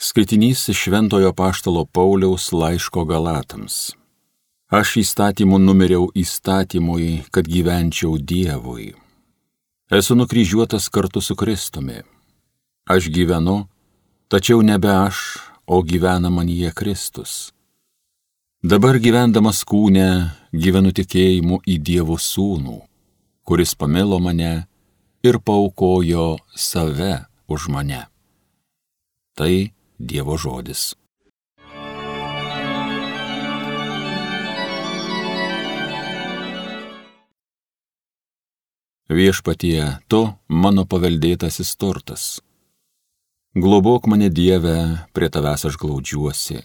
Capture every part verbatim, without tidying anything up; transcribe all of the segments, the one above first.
Skaitinys iš Šventojo apaštalo Pauliaus laiško Galatams. Aš įstatymu numiriau įstatymui, kad gyvenčiau Dievui. Esu nukryžiuotas kartu su Kristumi. Aš gyvenu, tačiau nebe aš, o gyvena manyje Kristus. Dabar gyvendamas kūne gyvenu tikėjimu į Dievo Sūnų, kuris pamilo mane ir paaukojo save už mane. Tai Dievo žodis. Viešpatie, tu mano paveldėtasis turtas. Globok mane, Dieve, prie tavęs aš glaudžiuosi.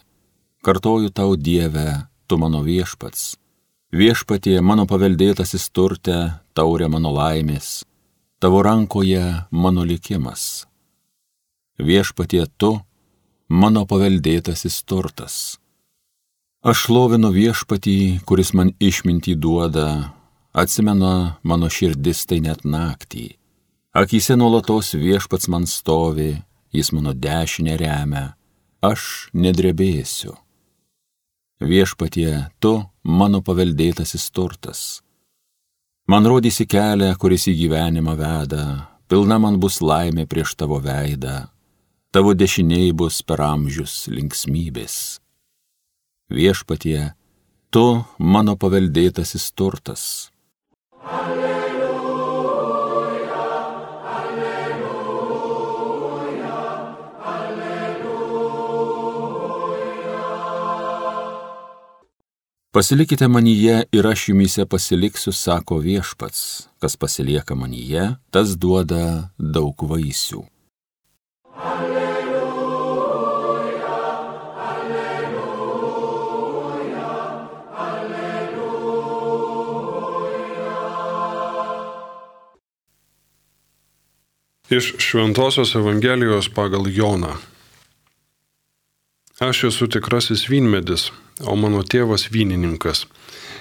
Kartoju tau, Dieve, tu mano viešpats. Viešpatie, mano paveldėtasis turte, taurė mano laimės, tavo rankoje mano likimas. Viešpatie, tu mano paveldėtasis turtas. Aš šlovinu viešpatį, kuris man išmintį duoda, atsimena mano širdis tai net naktį. Akyse nuolatos viešpats man stovi, jis mano dešinę remia, aš nedrebėsiu. Viešpatie, tu mano paveldėtasis turtas. Man rodysi kelią, kuris į gyvenimą veda, pilna man bus laimė prieš tavo veidą. Tavo dešiniai bus per amžius linksmybės. Viešpatie, tu mano paveldėtasis turtas. Alleluja, alleluja, alleluja. Pasilikite manyje ir aš jumyse pasiliksiu, sako viešpats. Kas pasilieka manyje, tas duoda daug vaisių. Iš Šventosios Evangelijos pagal Joną. Aš esu tikrasis vynmedis, o mano tėvas vynininkas.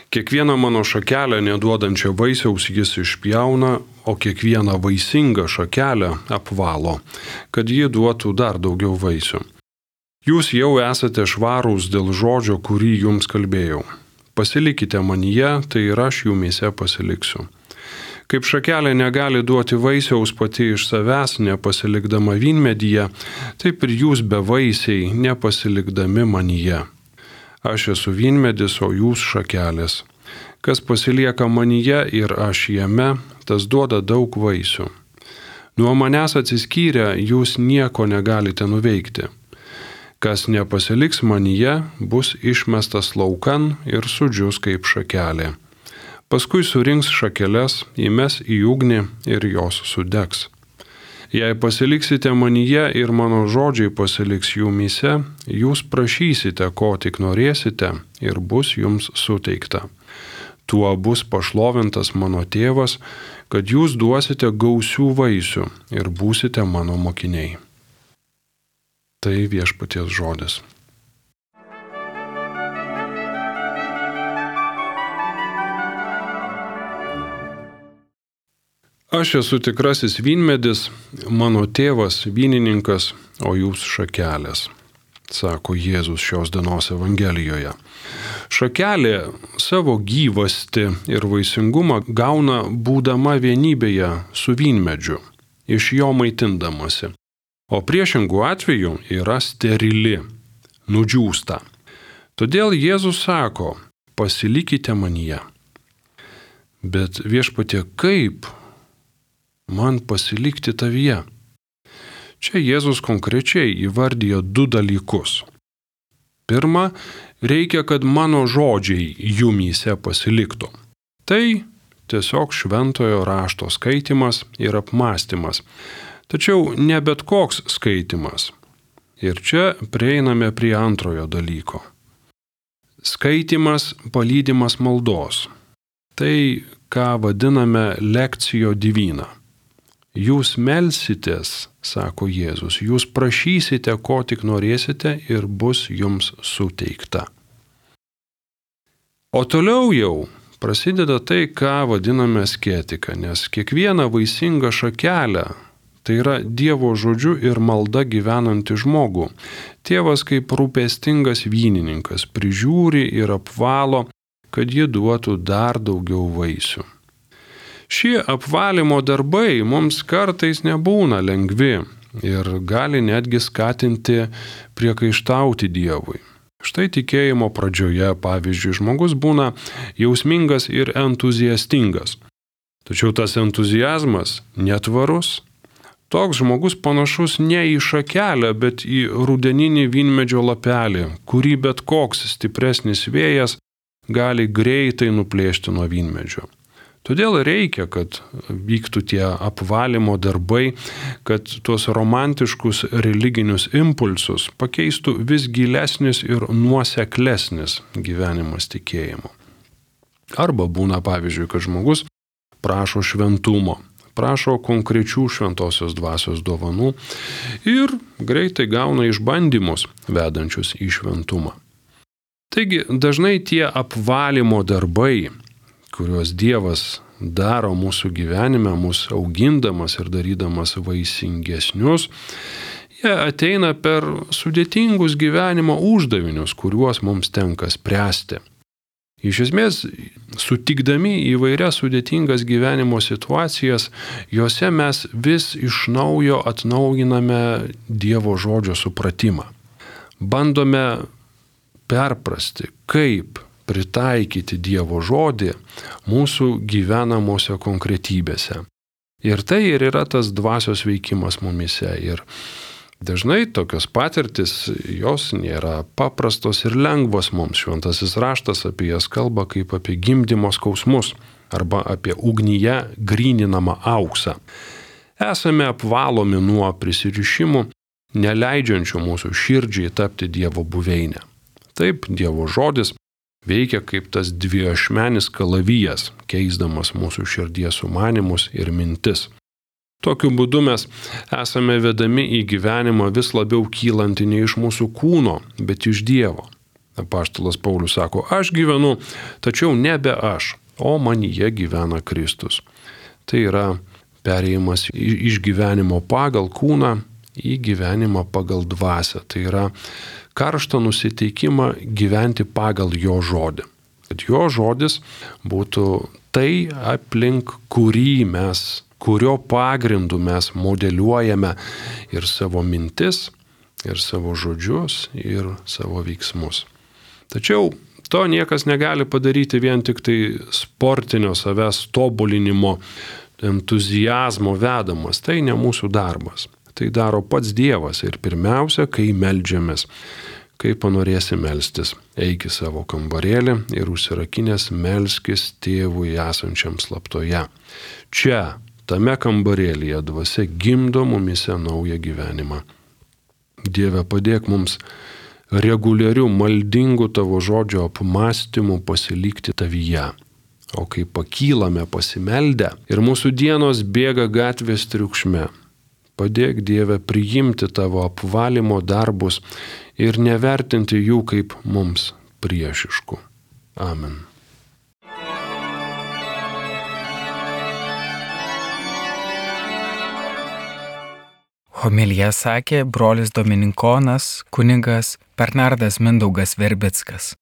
Kiekvieną mano šakelę neduodančią vaisiaus jis išpjauna, o kiekvieną vaisingą šakelę apvalo, kad ji duotų dar daugiau vaisių. Jūs jau esate švarūs dėl žodžio, kurį jums kalbėjau. Pasilikite manyje, tai ir aš jumyse pasiliksiu. Kaip šakelė negali duoti vaisiaus pati iš savęs, nepasilikdama vynmedyje, taip ir jūs bevaisiai, nepasilikdami manyje. Aš esu vynmedis, o jūs šakelės. Kas pasilieka manyje ir aš jame, tas duoda daug vaisių. Nuo manęs atsiskyrę, jūs nieko negalite nuveikti. Kas nepasiliks manyje, bus išmestas laukan ir sudžius kaip šakelė. Paskui surinks šakeles, įmes į ugnį ir jos sudegs. Jei pasiliksite manyje ir mano žodžiai pasiliks jumyse, jūs prašysite, ko tik norėsite, ir bus jums suteikta. Tuo bus pašlovintas mano tėvas, kad jūs duosite gausių vaisių ir būsite mano mokiniai. Tai viešpaties žodis. Aš esu tikrasis vynmedis, mano tėvas vynininkas, o jūs šakelės, sako Jėzus šios dienos Evangelijoje. Šakelė savo gyvastį ir vaisingumą gauna būdama vienybėje su vynmedžiu, iš jo maitindamasi, o priešingų atveju yra sterili, nudžiūsta. Todėl Jėzus sako, pasilikite manyje. Bet viešpatie, kaip man pasilikti tavyje? Čia Jėzus konkrečiai įvardijo du dalykus. Pirma, reikia, kad mano žodžiai jumyse pasiliktų. Tai tiesiog šventojo rašto skaitimas ir apmąstymas. Tačiau ne bet koks skaitimas. Ir čia prieiname prie antrojo dalyko. Skaitimas palydimas maldos. Tai, ką vadiname lekcijo divina. Jūs melsitės, sako Jėzus, jūs prašysite, ko tik norėsite ir bus jums suteikta. O toliau jau prasideda tai, ką vadiname asketika, nes kiekvieną vaisingą šakelę tai yra Dievo žodžiu ir malda gyvenantį žmogų, tėvas kaip rūpestingas vynininkas prižiūri ir apvalo, kad ji duotų dar daugiau vaisių. Šie apvalymo darbai mums kartais nebūna lengvi ir gali netgi skatinti priekaištauti Dievui. Štai tikėjimo pradžioje, pavyzdžiui, žmogus būna jausmingas ir entuziastingas. Tačiau tas entuziazmas netvarus. Toks žmogus panašus ne į šakelę, bet į rudeninį vynmedžio lapelį, kurį bet koks stipresnis vėjas gali greitai nuplėšti nuo vynmedžio. Todėl reikia, kad vyktų tie apvalymo darbai, kad tuos romantiškus religinius impulsus pakeistų vis gilesnis ir nuoseklesnis gyvenimas tikėjimu. Arba būna, pavyzdžiui, kad žmogus prašo šventumo, prašo konkrečių šventosios dvasios dovanų ir greitai gauna išbandymus vedančius į šventumą. Taigi dažnai tie apvalymo darbai, kuriuos Dievas daro mūsų gyvenime, mūsų augindamas ir darydamas vaisingesnius, jie ateina per sudėtingus gyvenimo uždavinius, kuriuos mums tenka spręsti. Iš esmės, sutikdami įvairias sudėtingas gyvenimo situacijas, juose mes vis iš naujo atnaujiname Dievo žodžio supratimą. Bandome perprasti, kaip pritaikyti Dievo žodį mūsų gyvenamose konkretybėse. Ir tai ir yra tas dvasios veikimas mumise. Ir dažnai tokios patirtis, jos nėra paprastos ir lengvos mums. Šventasis raštas apie jas kalba kaip apie gimdymo skausmus arba apie ugnyje gryninamą auksą. Esame apvalomi nuo prisirišimų, neleidžiančių mūsų širdžiai tapti Dievo buveinę. Taip, Dievo žodis veikia kaip tas dviašmenis kalavijas, keisdamas mūsų širdies sumanimus ir mintis. Tokiu būdu mes esame vedami į gyvenimą vis labiau kylantį ne iš mūsų kūno, bet iš Dievo. Apaštalas Paulius sako, aš gyvenu, tačiau nebe aš, o manyje gyvena Kristus. Tai yra perėjimas iš gyvenimo pagal kūną į gyvenimą pagal dvasią. Tai yra karštą nusiteikimą gyventi pagal jo žodį. Kad jo žodis būtų tai, aplink kurį mes, kurio pagrindu mes modeliuojame ir savo mintis, ir savo žodžius, ir savo veiksmus. Tačiau to niekas negali padaryti vien tik tai sportinio savęs tobulinimo, entuziazmo vedamas. Tai ne mūsų darbas. Tai daro pats Dievas ir pirmiausia, kai meldžiamės. Kai panorėsi melstis, eik į savo kambarėlį ir užsirakinęs melskis tėvui esančiam slaptoje. Čia, tame kambarėlyje dvasia gimdo mumise naują gyvenimą. Dieve, padėk mums reguliarių maldingų tavo žodžio apmąstymų pasilikti tavyje. O kai pakylame pasimeldę ir mūsų dienos bėga gatvės triukšme, padėk Dieve priimti tavo apvalymo darbus ir nevertinti jų kaip mums priešiškų. Amen. Homiliją sakė brolis dominikonas kunigas Bernardas Mindaugas Verbickas.